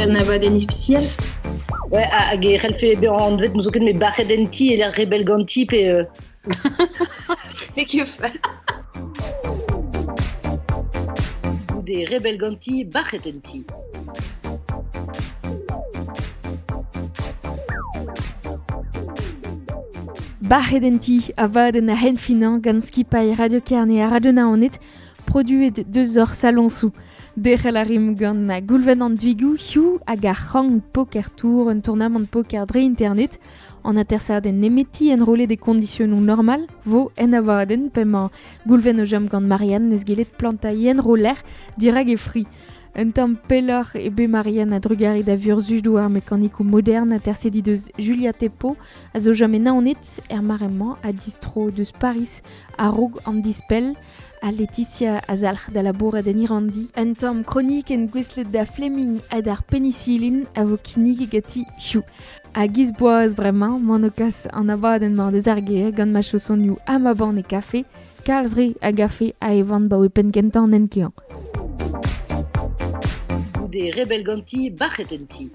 un abadenn ispisial. Ouais, hag e c'hellfe bezañ anvet n'ouzon ket met bac'het en ti e lec'h rebell ganti pe... N'eo ket fall. Goude rebell ganti, bac'het en ti. Bac'het en ti, abadenn a-henn finañ gant skipailh Radio Kerne ha Radio Naoned, produet deus hor saloñsoù. Derc'hel a rimp gant Goulven an Duigou, hiziv hag ar C'hang Poker Tour, un tournamant poker dre internet. An atersadenn nemeti enrollet e kondisionoù normal vo en abadenn p'emañ Goulven o chom gant Marianne n'eus gellet plantañ enroller dirak e fri. Un tamm pelloc'h eo bet Marianne a-drugarez da vurzhudoù ar mekanikoù modern aterset he deus Julia Thépaut a zo chom e Naoned er mare-mañ ha distro deus Pariz a-raok an dispell. Ha Laetitia a zalc'h da labourat en Irandi. Un tamm kronikenn gouestlet da Fleming ha d'ar penisilin a vo kinniget ganti hiziv. Ha giz boaz bremañ, m'an o kas an abadenn-mañ deus ar gêr gant ma chaosonioù ha ma banne kafe, kalz re a gafe a evan 'baoe penn-kentañ an hent-keañ. Goude rebell ganti, bac'het en ti.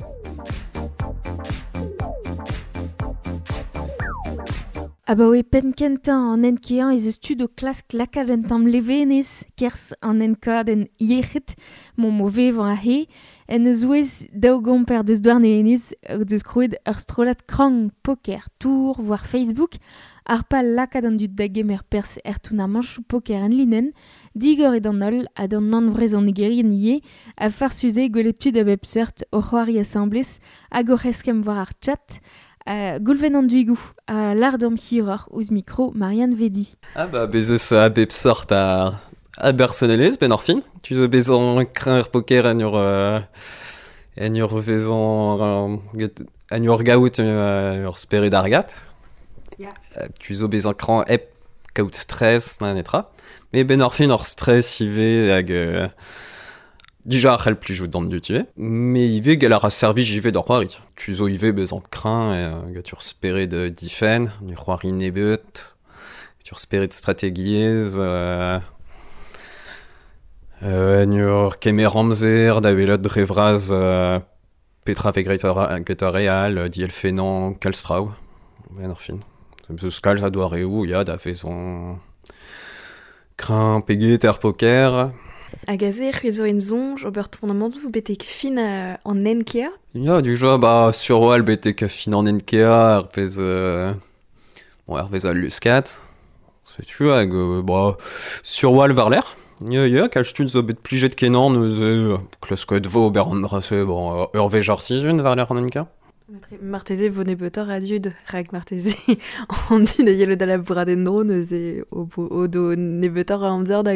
Abaoe penn-kentañ an hent-keañ ez eus tud o klask lakaat un tamm levenez kerzh an enkadenn yec'hed m'omp o vevañ aze. En o zouez daou gomper deus Douarnenez o deus krouet ur strollad krank poker tour war Facebook. Ar pal lakaat an dud da gemer perzh er tournamanchoù poker enlinenn, digor eo d'an holl ha d'an nann-vrezhonegerien ivez, ha farsus eo gwelet tud a bep seurt o c'hoari asambles hag oc'h eskemm war ar chat. Goulven an Duigou a lâr deomp hiroc'h ouzh mikro Marianne Vedi. Ah bah bez eus a bep sort a, a bersonelezh benn ar fin. Tu zo bezañ kreñv er poker en ur en ur vezañ en ur gaout ur spered argat. Yeah. Tu zo bezañ kreñv hep kaout stress na netra. Mais benn ar fin ur stress ivez hag Dija a c'hell plijout d'an dud ivez, met ivez gell a ra servij ivez d'ar c'hoari. Tu zo ivez bezañ kreñv gant ur spered difenn, ur c'hoari nebeut, ur spered strategiezh, en ur kemer amzer da welet dre vras petra vez graet get ar re all, dielfennañ kalz traoù, a-benn ar fin. Eus kalz a doareoù ya da vezañ Kreñv pe get er poker. Hag aze, c'hwi zo en soñj ober tournamantoù betek fin an NKA? Ya, dija, bah, sur-wal betek fin an NKA, ar pezh, bon, hervez al luskad. Setu hag, bah, sur-wal war-lerc'h. Ya, ya, kalz tud zo bet plijet kenañ neuze, klasket 'vo ober an dra-se, bon, ur wech ar sizhun war-lerc'h an NKA. Marteze vo nebeutoc'h a dud, rak marteze an dud a yelo da labourat en-dro neuze o do nebeutoc'h a amzer da,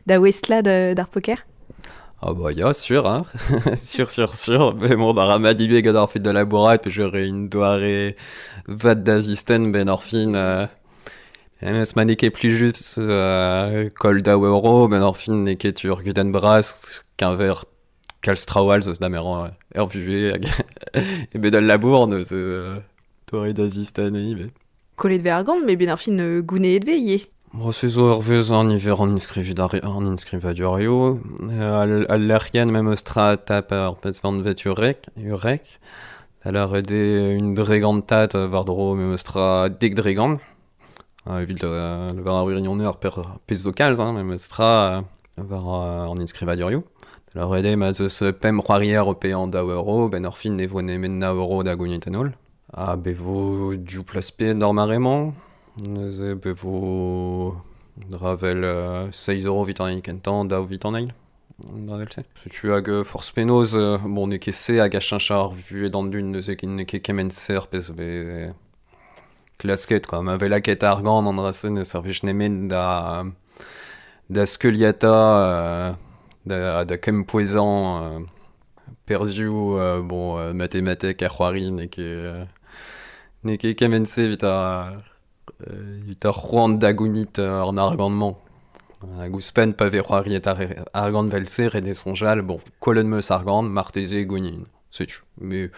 da ouestlañ d'ar poker. Ah bah ya, sûr, hein. Sûr, sûr, sûr. Mais bon, da ra mat ivez gant ar fed da labourat, peogwir un doare vat da zisten benn ar fin. Memes ma n'eo ket plijus koll daou euro, benn ar fin n'eo ket ur gudenn bras keñver kalz traoù all zo eus da merañ er vuhez hag e bed al labour neuze doare da zistenn ivez. Kollet vez argant, met ben ar fin gouneet vez ivez. Bon, se zo ur veuz an niver an an inskrivadurioù. Al lec'hienn memes tra tap ar pezh vanvet urek, urek. Da lâret eo un dregantad war-dro memes tra dek dregant. Evit war ar wirionez ar pezh zo kalz hein, memes tra war an inskrivadurioù. Da lâret eo ma'z eus pemp c'hoarier o paeañ daou euro, benn ar fin ne vo nemet nav euro da gounit en holl. Ha bez vo div plas pe d'ar mare-mañ. Neuze bez vo dra vel seizh euro evit an hini kentañ, daou evit an eil. Dra vel-se. Setu hag forzh penaos, bon n'eo ket se hag a cheñch ar vuhez d'an dud neuze n'eo ket kement-se ar pezh vez klasket quoi. Ma vez lakaet argant an dra-se ne servij nemet da da skeuliata, da, da kempouezañ perzhioù bon matematek ar c'hoari n'eo ket n'eo ket kement-se evit ar evit ar c'hoant da gounit an argant-mañ. Hag ouzhpenn pa vez c'hoariet ar argant 'vel-se ret eo soñjal bon kollet 'm eus argant marteze gounit. Setu. Mais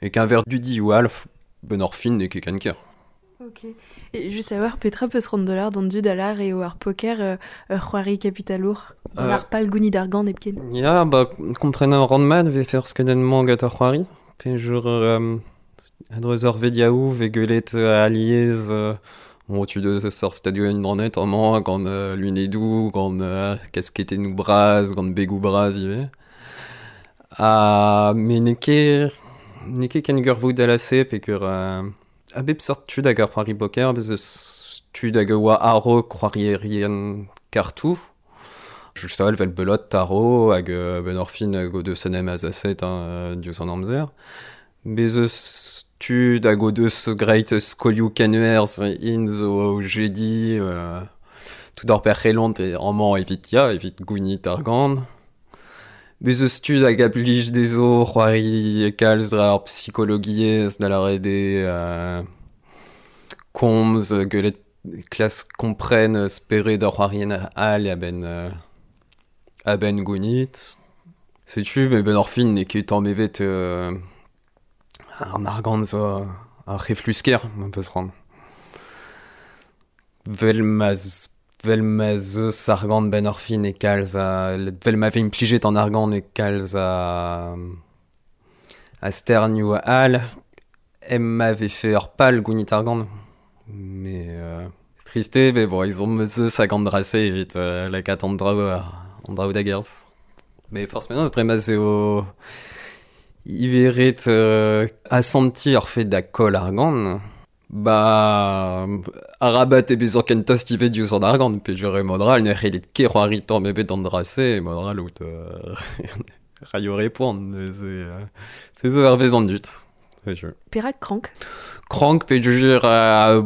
e-keñver dudioù all, benn ar fin n'eo ket ken ker. Ok. Et juste savoir, petra peus rond dollar d'an dud alar eo ar poker ur c'hoari kapitalour. An ar pal gounid argant hepken. Ya, ba, kompren an rand mat ve fer skeudenn-mañ gant ar c'hoari. Pe jur a-dreuz ur vediaou ve gwelet aliez bon, tu deus sort stadio en dranet amañ gant lunedou, gant kasketennoù bras, gant begou bras ivez. Ha me n'eo ket ken gurvoud a lase pe gur a bep sort tud hag ar c'hoari poker, bez eus tud hag a oa a-raok c'hoarierien kartoù. Just a vel belot taro hag ben ar fin hag o deus en em azaset hein, diouzh an amzer. Bez eus tud hag o deus graet skolioù kenwerzh int zo jedi tout ar perc'hellont e amañ evit ya, evit gounit ar gant. Bez eus tud hag a blij dezho c'hoari kalz dre ar psikologiezh da lâret eo komz gwelet klas kompren spered ar c'hoarien all a-benn gounit. Setu, met ben ar fin n'eo ket tamm evet an argant zo ar c'heflusker, ma peus ran. Vel ma zeus argant ben ar fin e kalz a... Vel ma vez implijet an argant e kalz a sternioù all, em ma vefe ur pal gounit argant. Mais triste, mais bon, ils ont zeus hag an drase evit lakaat an draoù da gerzh. Mais forcément, c'est dre ma eo iveret asanti ar fet da koll argant. Ba arabat e bezañ ken tost ivez diouzh an argant, pe jure modral ne c'hellit ket c'hoari tamm ebet an drase, modral out raio repont, c'est zo hervez an dud. Perak krank? Krank pe jure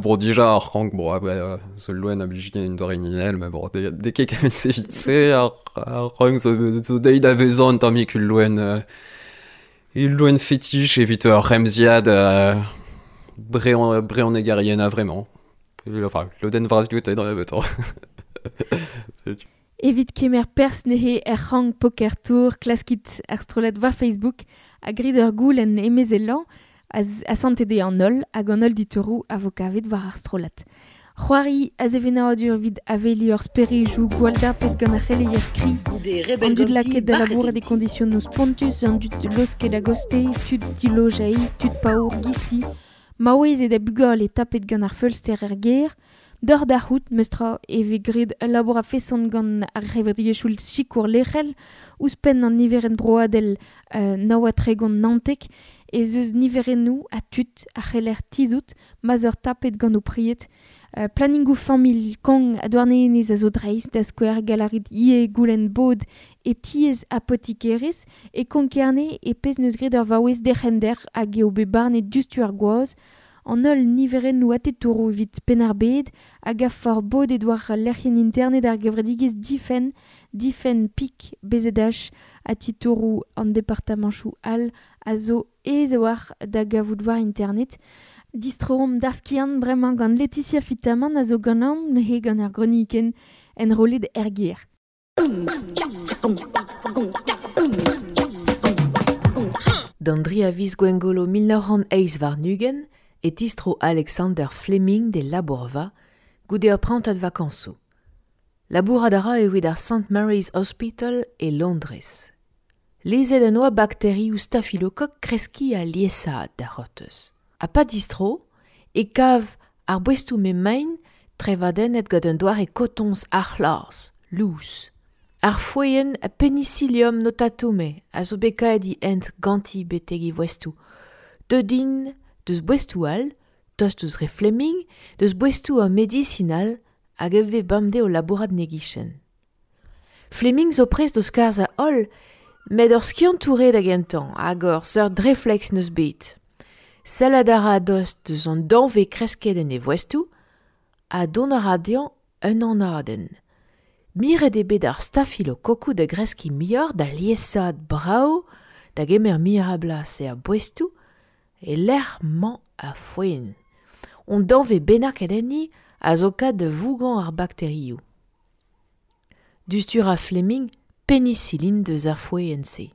bon dija ar krank, bon bah, zo loen a blij din un doare ninel, mais bon, de ket kamet se vit se, ar krank zo deit a vezañ un tammig ul loen fétiche evit ur remziad breon egarien a vraiment. Enfin, lodenn vras dioute dans le temps. Evit kemer pers nehe er c'hang Poker Tour, klaskit ar strollad war Facebook, a grid ur goul en emezellañ, a sante de an holl hag an holl ditourou a vo kavet war ar strollad. C'hoari a zevenadur vid aveli ur sperejou gwall-dapet gant ar c'heleier kri, an dud laket da labourat e kondisionoù spontus, an dud losket a goste, tud dilojeiz, tud paour gisti, maouez e da bugale e tapet gant ar feulster er ger, Dor da c'hout, meustra e vez graet ul labour a feson gant ar c'hevredigezhioù sikour lec'hel, ouzhpenn an niverenn broadel nav ha tregont naontek, ez eus niverennoù ha tud a c'heller tizhout ma'z eur tapet gant o pried. Planningoù familh kong a douarnenez a zo dreist da skouer galarit ie goulenn bod e tiez apotikerez e Konk-Kerne e pezh neus graet ur vaouez derc'hender hag eo bet barnet diouzhtu ar gwaz, an holl niverennoù atetouroù evit Penn-ar-Bed hag a for bodet war lec'hienn internet ar gevredigezh Difenn, Difenn Pik BZH ha titouroù an departamanchoù all a zo aes a-walc'h da gavout war internet. Distroomp d'ar skiant bremañ gant Laetitia Fitamant a zo ganeomp neuze gant ar gronikenn enrollet er gêr. D'an dri a viz Gwengolo 1928 e tistro Alexander Fleming de labourva goude ur prantad vakansoù. Labourat a ra evit ar St. Mary's Hospital e Londrez. Lezet an oa bakterioù stafilokok kreski a liesaat da c'hortoz. Ha pa distro, e kav ar boestoù me main trevadennet gant un doare kotoñs ar c'hlaz, lous. Ar foenn a penicillium notatume a zo bet kaet i hent ganti betek e voestoù. Deut int deus boestoù all, tost eus re Fleming, deus boestoù ar medisinal hag e vez bemdez o labourat 'n e gichen. Fleming zo prest d'o skarzhañ holl, met ur skiantour eo da gentañ hag ur seurt refleks neus bet. Sellet a ra a-dost deus an danvez kresket en e voestoù ha dont a ra dezhañ un anadenn. Miret eo bet ar stafilokokoù da greskiñ muioc'h da liesaat brav, da gemer muioc'h a blas er boestoù, e lec'h mañ a foenn. On danvez bennaket enni a zo kat da vougañ ar bakterioù. Diouzhtu ra Fleming penicilline deus ar foenn-se.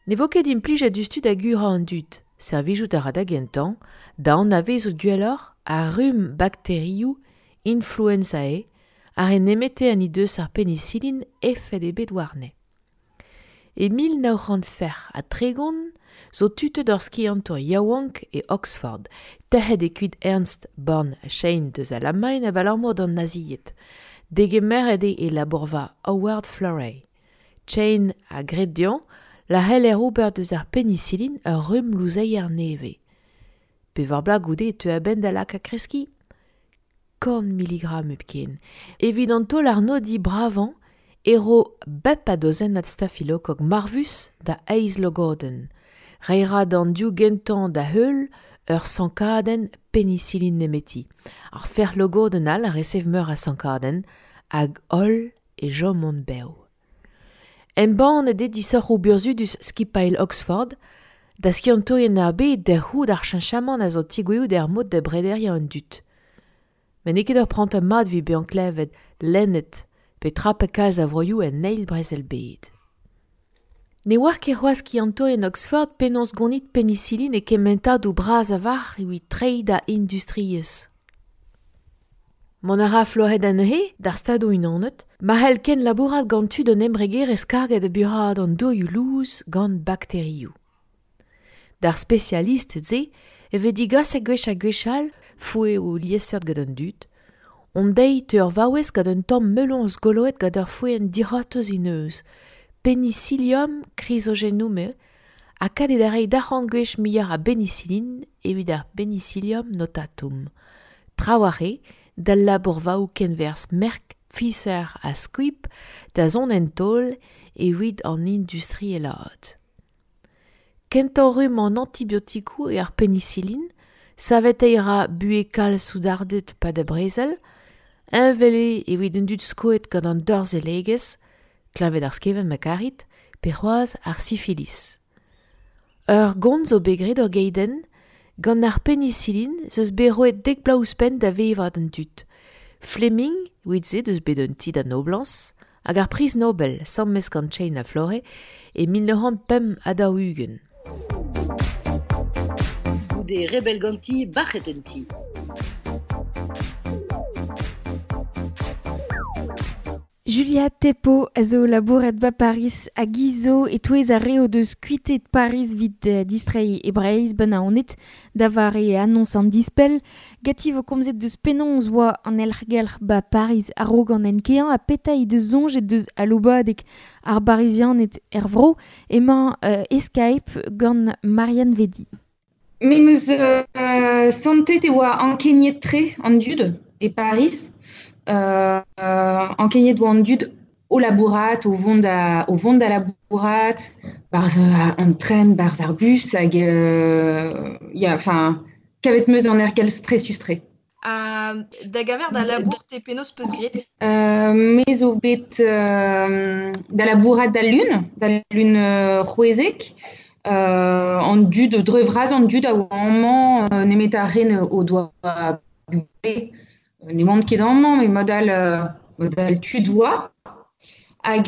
Ne vo ket implijet diouzhtu da gurañ an dud. Servijout a ra da gentañ, da anavezout gwelloc'h ar rumm bakterioù influenzae ar re nemete an he deus ar penicillin efed ebet warne. E 1936 zo tutet ur skiantour yaouank e Oxford, tec'het e kuit Ernst Born Chain deus Alamagn abalamour d'an nazied. Degemeret eo e labourva Howard Florey. Chain a gred dezhañ la c'heller ober deus ar penicillin ur rumm louzeier nevez. Pevar bloaz goude e teu a-benn da lakaat kreskiñ 100 miligramm hepken. Evit an taol arnodiñ bravañ e ro bep a dozennad stafilokok marvus da eizh logodenn. Reiñ ra d'an div gentañ da heul ur sankadenn penicillin nemeti. Ar fer logodenn all a resev meur a sankadenn hag holl e chomont bev. Embannet eo disoc'hoù burzhudus skipailh Oxford da skiantourien ar bed da c'hoût ar cheñchamant a zo tigouezhout er mod da brederiañ an dud. Met n'eo ket ur prantad mat evit bezañ klevet, lennet pe trapet kalz a vroioù en eil brezel-bed. Ne oar ket c'hoazh skiantourien Oxford penaos gonit penicillin e kementadoù bras a-walc'h evit treiñ da industriezh. Mont a ra Florey da neuze d'ar Stadoù-Unanet ma c'hell kenlabourat gant tud un embregerezh karget da buraat an dourioù lous gant bakterioù. D'ar spesialisted-se e vez digaset gwech ha gwech all foeoù liesseurt gant an dud. Hon deiz teu ur vaouez gant un tamm meloñs goloet gant ur foenn dic'hortoz he neuz, Penicillium chrysogenum eo, ha kad eo da reiñ d'arc'hant gwech muioc'h a benicillin evit ar Penicillium notatum. Trawalc'h eo d'al labourvaoù kenwerzh Merck, Pfizer ha Squibb da zont en taol evit an industrielaat. Kentañ rumm an antibiotikoù eo ar penicillin, saveteiñ a ra buhez kalz soudarded 'pad ar brezel, heñvel eo evit an dud skoet gant an dorzhellegezh, kleñved ar skevent ma karit, pe c'hoazh ar sifilis. Ur gont zo bet graet ur geidenn, gant ar penicillin 'z eus bet roet dek bloaz ouzhpenn da vevañ d'an dud. Fleming, evit se deus bet un ti da noblañs, hag ar priz Nobel, sammes gant Chain ha Florey, e 1945. Goude rebell ganti, bac'het en ti. Julia Thépaut a zo labouret ba Paris hag hi zo e-touez ar re o deus kuitet Paris 'vit distreiñ e Breizh 'ba Naoned da vare annoñs an dispell. Ganti 'vo komzet deus penaos 'oa an aergelc'h 'ba Paris a-raok an enkeañ ha petra he deus soñjet deus aloubadeg ar Barizianed er vro. Emañ e Skype gant Marianne Vedi. Me 'm eus santet e oa ankeniet-tre an dud e Paris. Ankeniet oa an dud o labourat, o vont da, o vont da labourat, barzh an tren, barzh ar bus, hag ya, enfin, kavet 'm eus an aergelc'h stresus-tre. Ha da gaver da labour te penaos peus graet? Me zo bet da labourat da lun, da lun c'hwezek. An dud, dre vras an dud a oa amañ nemet ar re o doa bugale. Ne oant ket amañ, met mod all tud oa. Hag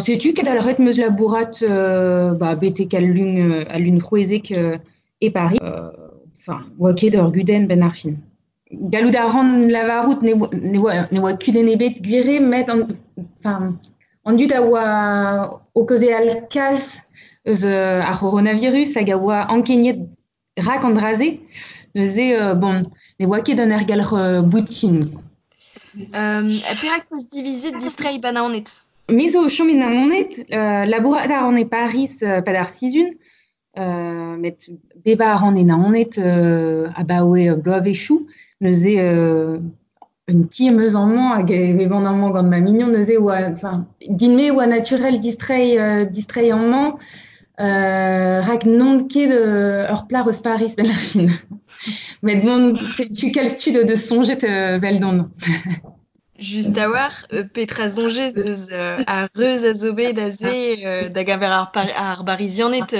setu ket al ret 'm eus labourat ba, betek al lun c'hwezek e Paris. Enfin, oa ket ur gudenn benn ar fin. Gallout a ran lavarout ne oa kudenn ebet gwir eo, met an, an dud a oa o kaozeal kalz eus ar c'horonavirus hag a oa ankeniet rak an dra-se. Neuze, bon, ne oa ket un aergelc'h boutin. Perak peus divizet distreiñ ba Naoned? Me zo o chom e Naoned, labourat a ran e Paris 'pad ar sizhun, met bevañ a ran e Naoned abaoe bloavezhioù. Neuze un ti am eus amañ hag e vevan amañ gant ma mignon. Neuze oa, enfin, din-me oa naturel distreiñ amañ. Rak n'on ket ur plac'h eus Paris benn ar fin. Met bon, setu kalz tud o deus soñjet 'veldon. Just a-walc'h, petra soñjez deus ar reuz a zo bet aze da gaver ar Barizianed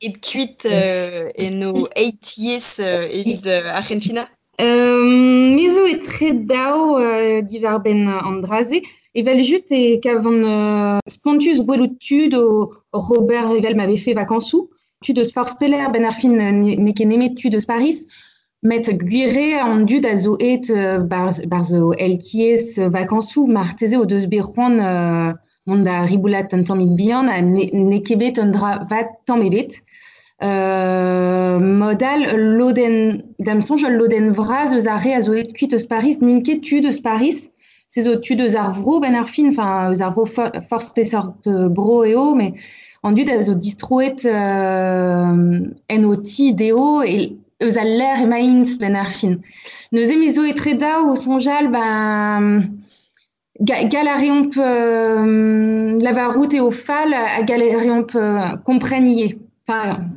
et kuit en o eitiez evit ar c'henfinañ? Me zo etre daou diwar-benn an dra-se. Evel just e kavan spontus gwelout tud o ober evel ma vefe vakañsoù. tud eus forzh pelec'h ben ar fin n'eo ket nemet tud eus Paris, met gwir eo an dud a zo aet barzh o LTS vakañsoù marteze o deus bet c'hoant mont da riboulat un tammig bihan ha n'eo ket bet un dra vat tamm ebet. Mod all, ul lodenn, da'm soñj ul lodenn vras eus ar re a zo aet kuit eus Paris n'int ket tud eus Paris, se zo tud eus ar vro benn ar fin, enfin eus ar vro forzh peseurt bro eo, met an dud a zo distroet en o ti dezho eus al lec'h emaint benn ar fin. Neuze me zo etre daou o soñjal ben gall a reomp lavarout eo fall ha gall a reomp kompren ivez. Enfin,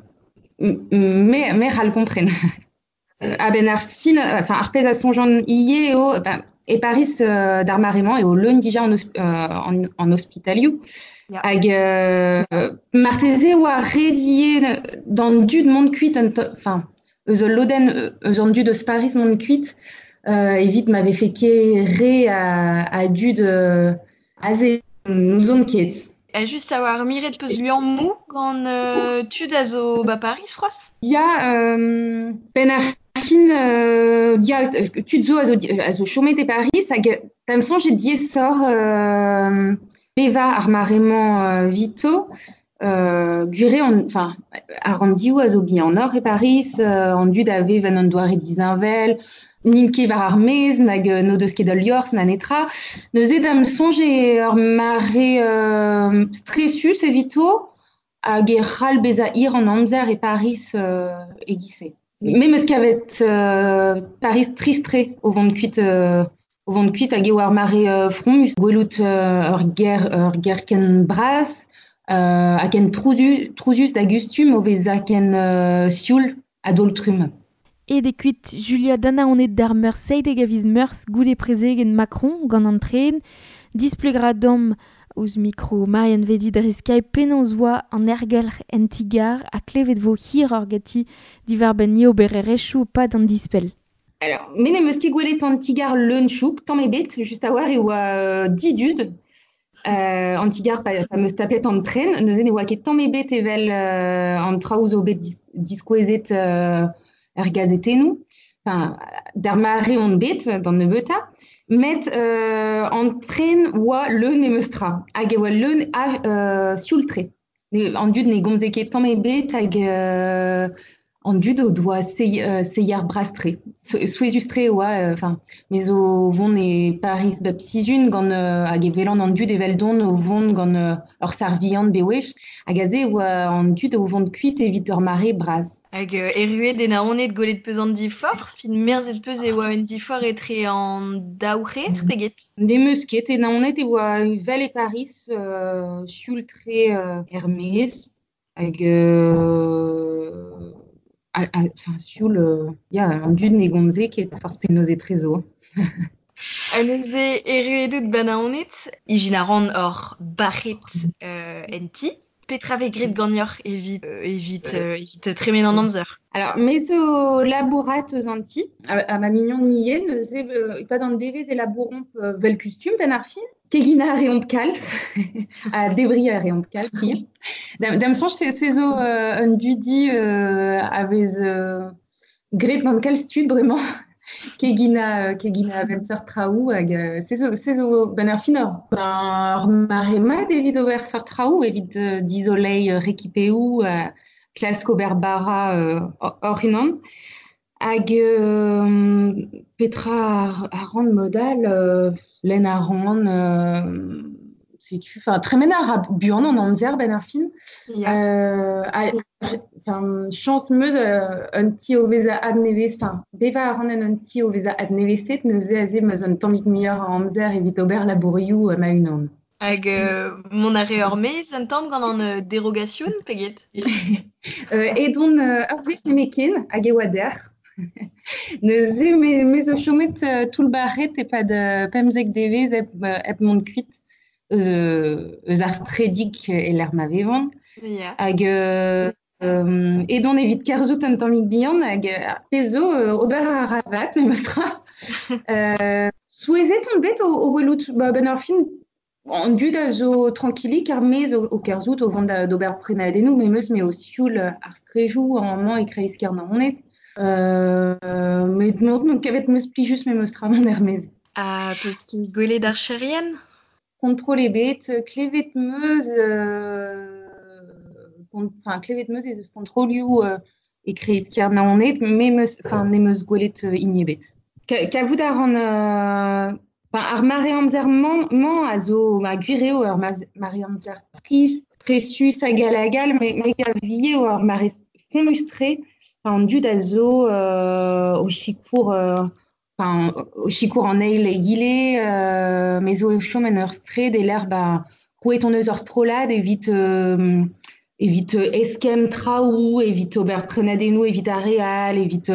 me c'hall kompren. A-benn ar fin, enfin, ar pezh a soñjan ivez eo, ben, e Paris d'ar mare-mañ eo leun dija an ospitalioù. Ya. Hag marteze oa ret ivez d'an dud mont kuit, enfin, eus ul lodenn eus an dud eus Paris mont kuit, evit ma vefe ket re a dud aze n'ouzon ket. Ha just a war miret peus liammoù gant tud a zo ba Paris c'hoazh? Ya, benn ar fin, ya, tud zo a zo chomet e Paris hag da'm soñj eo diaesoc'h bevañ ar mare-mañ 'vito. Gwir eo, enfin, ar ranndioù a zo bihanoc'h e Paris, an dud a vev en un doare disheñvel, n'int ket war ar maez, nag n'o deus ket ul liorzh na netra. Neuze da'm soñj eo ur mare stresus evito hag e c'hall bezañ hir an amzer e Paris e-giz-se. Me 'm eus kavet Paris trist-tre o vont kuit hag eo ar mare fromus. Gwelout ur gêr ken bras ha ken trouzus da gustum o vezañ ken sioul a-daol-trumm. Aet eo kuit Julia Danaoned d'ar Meurzh seitek a viz Meurzh goude prezegenn Macron gant an tren. Displegañ deomp ouzh mikro Marianne Vedi dre Skype penaos oa an aergelc'h en ti-gar ha klevet vo hiroc'h ganti diwar-benn obererezhioù pad an dispell. Alors, me n'em eus ket gwelet an ti-gar leun-chouk, tamm ebet, just a-walc'h e oa didud. An ti-gar pa 'm eus tapet an tren, neuze ne oa ket tamm ebet evel an traoù zo bet diskouezet er gazetennoù. Enfin, d'ar mare on bet, d'an nebeutañ. Met an tren oa leun em eus tra. Hag e oa leun a sioul-tre. An dud ne gomze ket tamm ebet hag an dud o doa seier bras-tre. Souezhus-tre oa, enfin, me zo vont e Paris bep sizhun gant hag e welan an dud eveldon o vont gant ur sarviant bewech hag aze oa an dud o vont kuit evit ur mare bras. Hag erruet e Naoned gwelet peus an diforc'h, fin merzet peus e oa un diforc'h etre an daou c'her pe get? N'em eus ket, e Naoned e oa vel e Paris sioul-tre er-maez hag enfin, sioul, ya, an dud ne gomze ket forzh penaos etrezo. Ha neuze erruet out ba Naoned, ijin a ran hor bac'het en ti. Petra vez graet ganeoc'h evit tremen an amzer? Alors, me zo labourat eus an ti, ha ma mignon ivez, neuze e-pad an devezh e labouromp vel kustum benn ar fin. Keginañ a reomp kalz, ha debriñ a reomp kalz ivez. Da'm soñj se zo un dudi a vez graet gant kalz tud bremañ. Keginañ a bep seurt traoù hag se zo benn ar fin ur mare mat evit ober seurt traoù, evit dizoleiñ rekipeoù, klask ober bara hoc'h unan. Hag petra a ran mod all, lenn a ran, setu, enfin, tremen a ra buan an amzer benn ar fin. Ya. Enfin, chañs 'm eus un ti o vezañ adnevez, enfin, bevañ a ran en un ti o vezañ adnevezet, neuze aze 'm eus un tammig muioc'h a amzer evit ober labourioù ma-unan. Hag mont a re ur maez un tamm gant an derogasion pe get? Edon ur wech nemetken hag e oa dec'h. Neuze me zo chomet toullbac'het e-pad 15 devezh hep mont kuit eus ar stredig e lec'h ma vevan. Ya. Hag edon evit kerzhout un tammig bihan hag ar pezh zo ober a ra vat memestra. Souezhet on bet o welout benn ar fin An dud a zo trankilik ar maez o kerzhout o vont d'ober prenadennoù memes me o sioul ar strejoù amañ e kreiz Naoned. Met non kavet meus plijus memes tra mont er maez. Ha peus ket gwelet archerien? Kontrol ebet, klevet meus enfin klevet meus ez eus kontrolioù e kreiz Naoned, me meus enfin ne meus gwelet hini ebet. Kavout a ran ar mare amzer mañ a zo ma gwir eo ur mare amzer trist, tresus hag all hag all, me gav ivez eo ur mare fonnus-tre. An dud a zo o sikour enfin o sikour an eil egile, me zo o chom en ur straed e lec'h ba krouet hon eus ur strollad evit evit eskemm traoù, evit ober prenadennoù evit ar re all, evit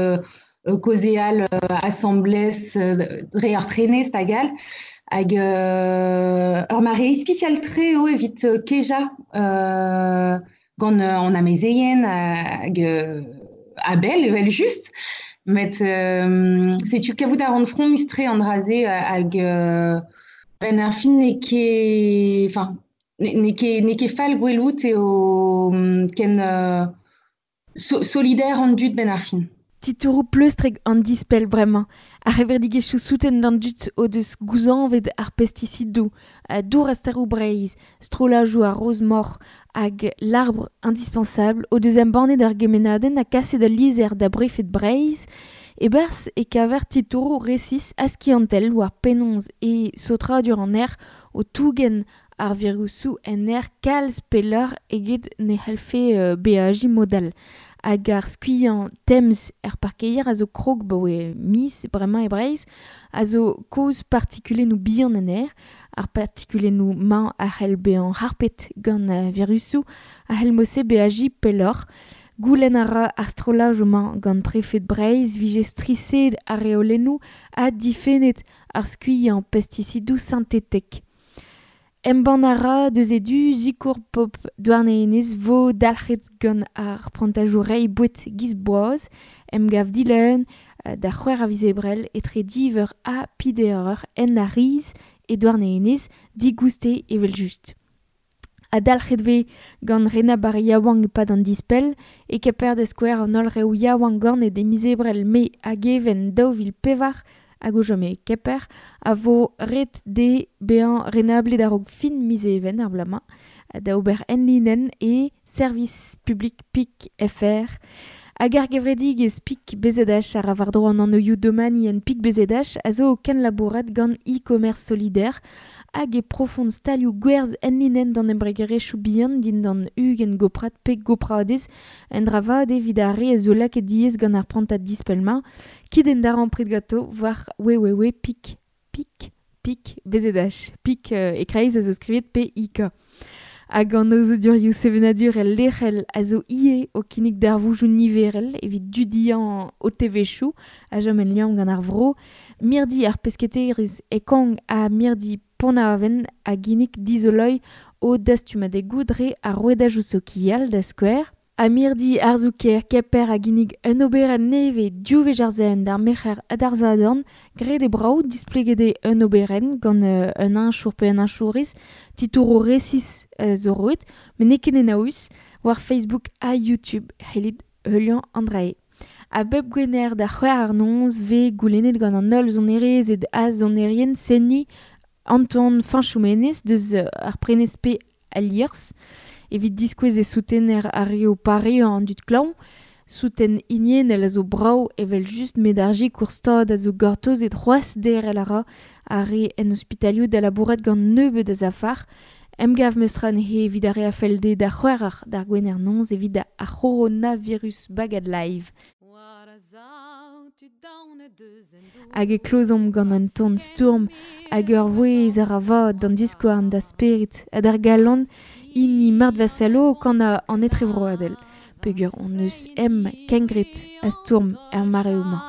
kaozeal asambles dre ar prenest hag all. Hag ur mare ispisial-tre eo evit kejañ gant an amezeien hag a-bell evel-just. Met setu kavout a ran fromus-tre an dra-se hag ben ar fin n'eo ket enfin n'eo ket fall gwelout eo ken solidaire an dud ben ar fin. Titouroù pleustrek an dispell bremañ. Ar c'hevredigezhioù souten d'an dud o deus gouzañvet ar pestisidoù, dour ar steroù Breizh, strollajoù ar roz-moc'h hag l'arbre indispensable o deus embannet ar gemennadenn ha kaset ul lizher da brefed Breizh e-barzh e kaver titouroù resis ha skiantel war penaos e saotradur an aer o tougen ar virusoù en aer kalz pelloc'h eget ne c'hallfe beajiñ mod all. Hag ar skuilhañ temz er parkeier a zo krog baoe miz bremañ e Breizh a zo kaoz partikulennoù bihan en aer. Ar partikulennoù mañ a c'hell bezañ harpet gant virusoù a c'hell mod-se beajiñ pelloc'h. Goulenn a ra ar strollajoù-mañ gant prefed Breizh vije striset ar reolennoù ha difennet ar skuilhañ pestisidoù sintetek. Embann a ra deus e du sikour pop Douarnenez vo dalc'het gant ar prantajoù reiñ boued giz boaz, emgav dileun da c'hwec'h a viz Ebrel etre div eur ha peder eur en ar riz e Douarnenez digouste evel-just. Ha dalc'het vez gant Rena Bar yaouank e-pad an dispell e Kemper da skouer an holl reoù yaouank ganet e miz Ebrel Mae hag Even 2004 hag o chom e Kemper a vo ret dezhe bezañ renablet a-raok fin miz Even ar bloaz-mañ da ober enlinenn e service public pik fr. Hag ar gevredigezh Pik BZH a ra war-dro an anvioù domani en Pik BZH a zo o kenlabourat gant e-commerce solidaire hag e profont stalioù gwerzh enlinenn d'an embregerezhioù bihan dindan ugent goprad pe gopradez un dra vat evit ar re a zo lakaet diaes gant ar prantad dispell-mañ kit en darempred ganto war www pik pik pik bzh pik e kreiz a zo skrivet PIK. Hag an aozadurioù sevenadurel lec'hel a zo ivez o kinnig darvoudoù niverel evit dudiañ o tevezhioù a chom en liamm gant ar vro. Mirdi ar pesketerezh e Kong ha mirdi Pont-Aven a ginnig dizoloiñ o dastumadegoù dre ar rouedajoù sokial da skouer. Ha mirdi arzoù-kaer Kemper a ginnig un oberenn nevez div wech ar sizhun d'ar merc'her ha d'ar sadorn graet eo brav displeget eo un oberenn gant un heñchour pe un heñchourez titouroù resis zo roet met n'eo ket enaouus war Facebook ha YouTube c'hellit heuliañ an dra-se. A bep gwener da c'hwec'h ar noz vez goulennet gant an holl sonerezed ha sonerien senniñ Anton Fañchou-Menez deus ar prenez pe al liorzh evit diskouez e soutener ar re o pareañ an dud klañv. Souten hiniennel a zo brav evel-just met ar sikour stad a zo gortozet c'hoazh derc'hel a ra ar re en ospitalioù da labourat gant nebeut a zafar. Emgav meus tra neuze evit ar re a fell dezhe da c'hwec'h d'ar gwener noz evit ar c'horonavirus bagad live. Hag e klozomp gant un ton stourm hag ur vouezh a ra vat d'an diskouarn da spered ha d'ar galon hini Marthe Vassallo o kanañ an etrevroadel peogwir hon eus em kengred a stourm er mareoù-mañ.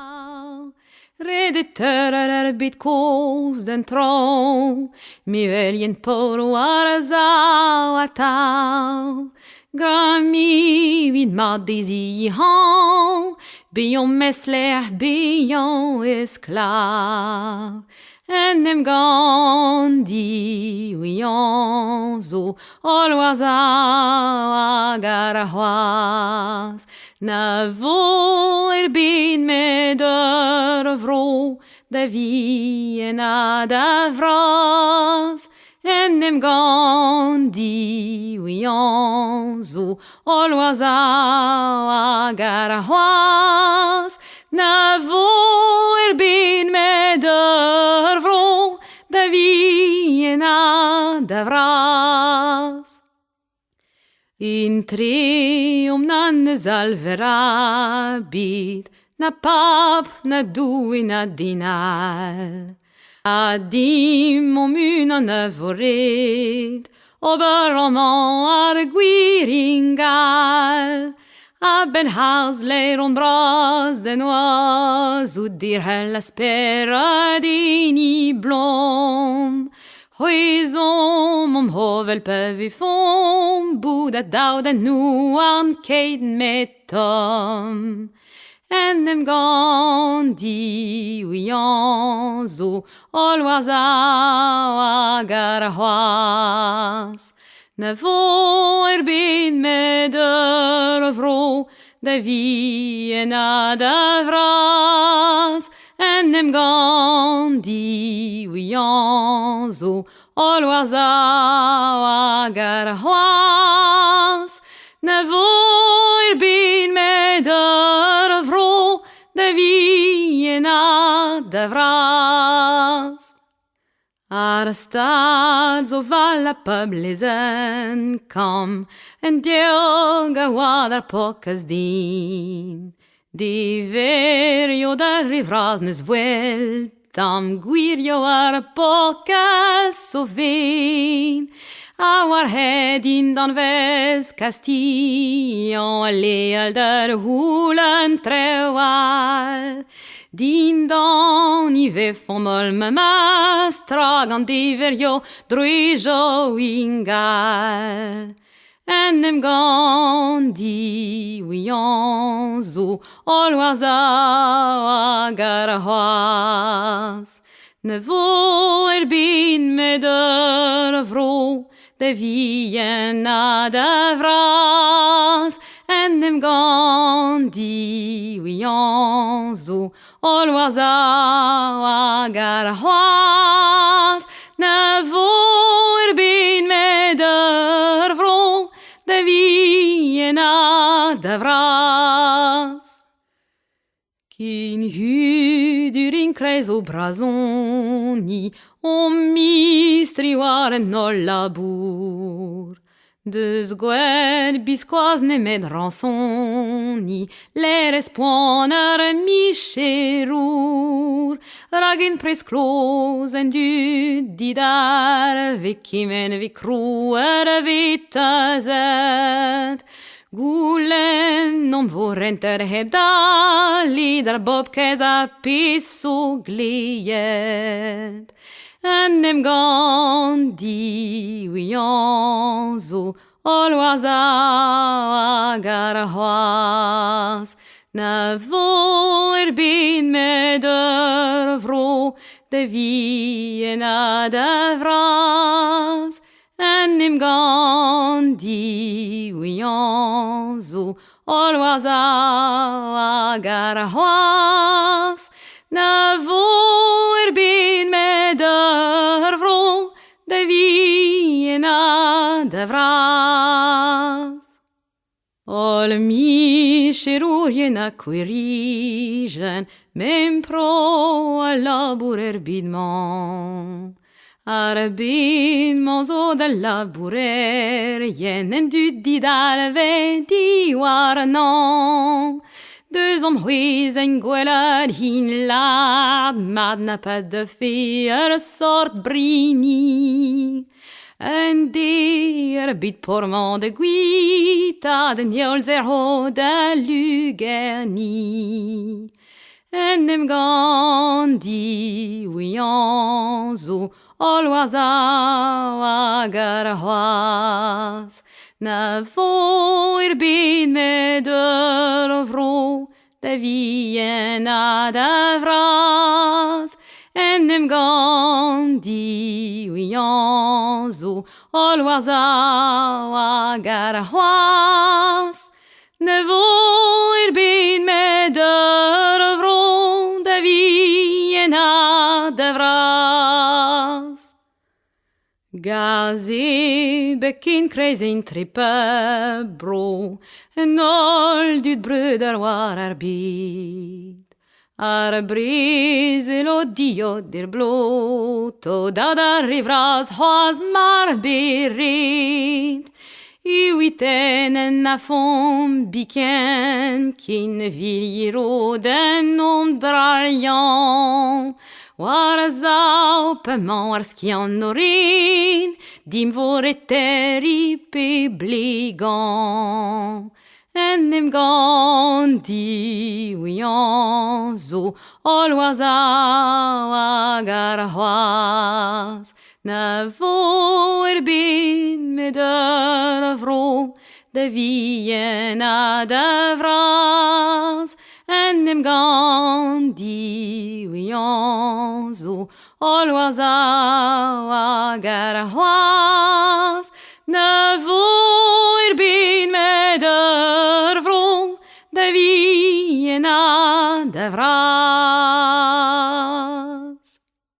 Redet ar bed kozh d'an traoñ, mevelien paour war a sav atav. Gra mi 'vit mat dezhi hañv, Bezañ mesler, bezañ esklav. En em gant diouiañ zo holl war sav hag ar c'hoazh. Na vo er bed met ur vro da vihan ha da vras. En em gant diouiañ zo holl war sav hag ar c'hoazh. Na vo er bed met ur vro da vihan ha da vras. Intreomp na n'eus alver ebet, na pab, na Doue, na den all. Ha dimp hon-unan a vo ret ober amañ ar gwir ingal. A-benn harz laeron bras da noazhout derc'hel a spered hini blom. C'hwezomp omp c'hovel pa vefomp bout a-daou da houarn keit met tomm. En em gant diouiañ zo holl war sav hag ar c'hoazh. Na vo er bed met ur vro da vihan ha da vras. En em gant diouiañ zo holl war sav hag ar c'hoazh. Na vo er bed met ur vro da vihan ha da vras. Ar stad zo val pub lezenn kamm en diog a oa d'ar pokaz din. Diverio d'ar re vras neus wel tamm gwirio ar pokaz o ven. A war hed dindan vez Kastillan a leal d'ar houlenn trewal. Dindan i vefomp holl memes tra gant diverio druijo ingal. En em gant diouiañ zo holl war sav hag ar c'hoazh. Ne vo er bed met ur vro da vihan ha da vras. En em gant diouiañ zo holl war sav hag ar c'hoazh. Na vo er bed met ur vro da vihan ha da vras. Ken hudur enkreiz o brazoni, o mistri war en holl labour. Deus gwell biskoazh nemet rañsoni, lerez poan ar micherour. Rak en prez kloz en dud didal, ve kement ve krouer ve teuzet. Goulenn omp vo renter hep dale d'ar bob kaezh ar pezh zo gleet. En em gant diouiañ zo holl war sav hag ar c'hoazh. Na vo er bed met ur vro da vihan ha da vras. En em gant diouiañ zo holl war sav hag ar c'hoazh. Na vo er bed met ur vro da vihan ha da vras. Holl micherourien ha kouerijen, mem pro a labour er bed-mañ. Ar bed-mañ zo d'al labourerien en dud didal ve diwarnañ. Deus an c'hwezh en gwelet hin lard, mat na pa deufe ur sort brini. Un de ar bed pormañ da gwitaat en heol zerho da lugerni. En em gant diouiañ zo holl war sav hag ar c'hoazh. Na vo er bed met ur vro da vihan ha da vras. En em gant diouiañ zo holl war zav hag ar c'hoazh. Ne vo er bed met ur vro da vihan ha da vras. Gaze bekin kreiz entre pep bro, en holl dud breuder war ar bed. Ar brezel o diod er blot, o dad ar re vras c'hoazh mar be ret. Iwiten en afon biken, ken viliro den om dralian. War a zav pemañ ar skiant o ren, dimp vo ret terriñ pe blegañ. En em gant diouiañ zo holl war zav hag ar c'hoazh. Na vo er bed met ur vro da vihan ha da vras. En em gant diouiañ zo holl war zav hag ar c'hoazh. Na vo er bed met ur vro da vihan ha da vras.